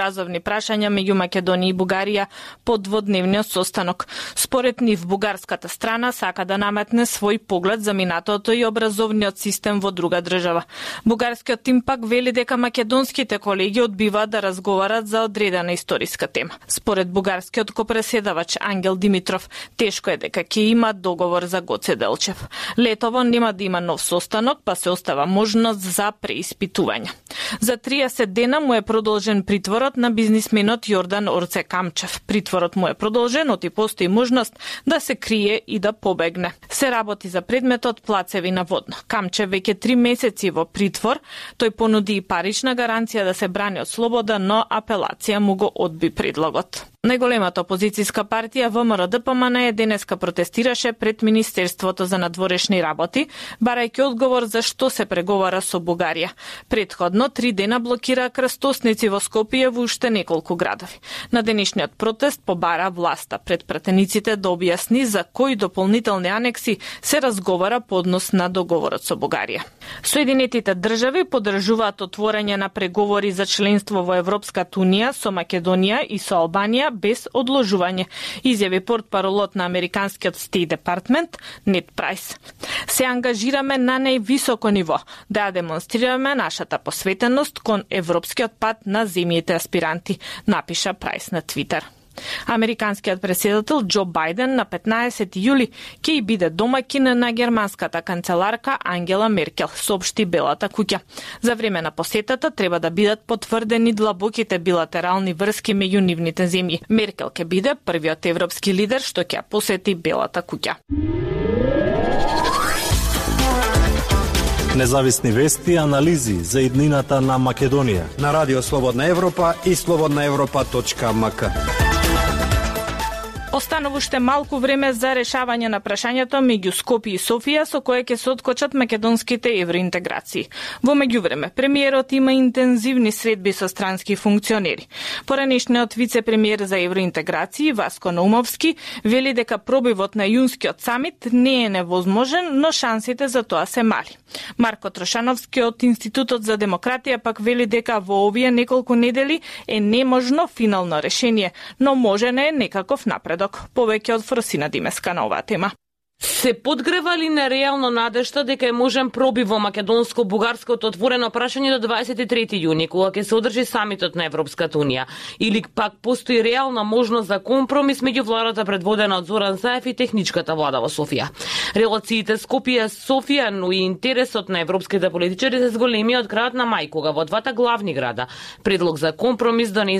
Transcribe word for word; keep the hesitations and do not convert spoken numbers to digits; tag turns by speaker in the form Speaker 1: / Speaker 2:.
Speaker 1: разовни прашања меѓу Македонија и Бугарија по дводневниот состанок. Според нив, бугарската страна сака да наметне свој поглед за минатото и образовниот систем во друга држава. Бугарскиот тим пак вели дека македонските колеги одбиваат да разговарат за одредена историска тема. Според бугарскиот копреседавач Ангел Димитров, тешко е дека ќе има договор за Гоце Делчев. Летово нема да има нов состанок, па се остава можност за преиспитување. За триесет дена му е продолжен притворот на бизнисменот Јордан Орце Камчев. Притворот му е продолжен, оти постои можност да се крие и да побегне. Се работи за предметот плацеви на водно. Камчев веќе три месеци во притвор. Тој понуди и парична гаранција да се брани од слобода, но апелација му го одби предлогот. Најголемата опозицијска партија Вэ Ем Ар Де Пе Ем Ен Е денеска протестираше пред Министерството за надворешни работи, барајќи одговор за што се преговара со Бугарија. Претходно три дена блокира крстосници во Скопје во уште неколку градови. На денешниот протест побара власта пред пратениците да објасни за кои дополнителни анекси се разговара по однос на договорот со Бугарија. Соединетите држави поддржуваат отворање на преговори за членство во Европската унија со Македонија и со Албанија без одложување, изјави портпаролот на американскиот Стейт Департмент Нед Прайс. Се ангажираме на највисоко ниво да ја демонстрираме нашата посветеност кон европскиот пат на земјите аспиранти, напиша Прайс на Твитер. Американскиот претседател Џо Бајден на петнаесети јули ќе и биде домаќин на германската канцеларка Ангела Меркел, соопшти Белата куќа. За време на посетата треба да бидат потврдени длабоките билатерални врски меѓу нивните земји. Меркел ќе биде првиот европски лидер што ќе посети Белата куќа.
Speaker 2: Независни вести и анализи за иднината на Македонија
Speaker 3: на Радио Слободна Европа и слободна европа точка ем ка.
Speaker 1: Останува уште малку време за решавање на прашањето меѓу Скопје и Софија со кое ќе се откочат македонските евроинтеграции. Во меѓувреме, премиерот има интензивни средби со странски функционери. Поранешниот вице-премиер за евроинтеграции Васко Наумовски вели дека пробивот на јунскиот самит не е невозможен, но шансите за тоа се мали. Марко Трошановски од Институтот за демократија пак вели дека во овие неколку недели е неможно финално решение, но можен е некаков напредок. Повеќе од Фросина Димеска на оваа тема.
Speaker 4: Се подгрева ли нереално надежта дека е можен пробив во македонско-бугарското отворено прашање до дваесет и трети јуни, кога ќе се одржи самитот на Европската унија? Или пак постои реална можност за компромис меѓу владата предводена од Зоран Заев и техничката влада во Софија? Релациите Скопје-Софија, но и интересот на европските политичари се зголеми од крајот на мај, кога во двата главни града предлог за компромис донесен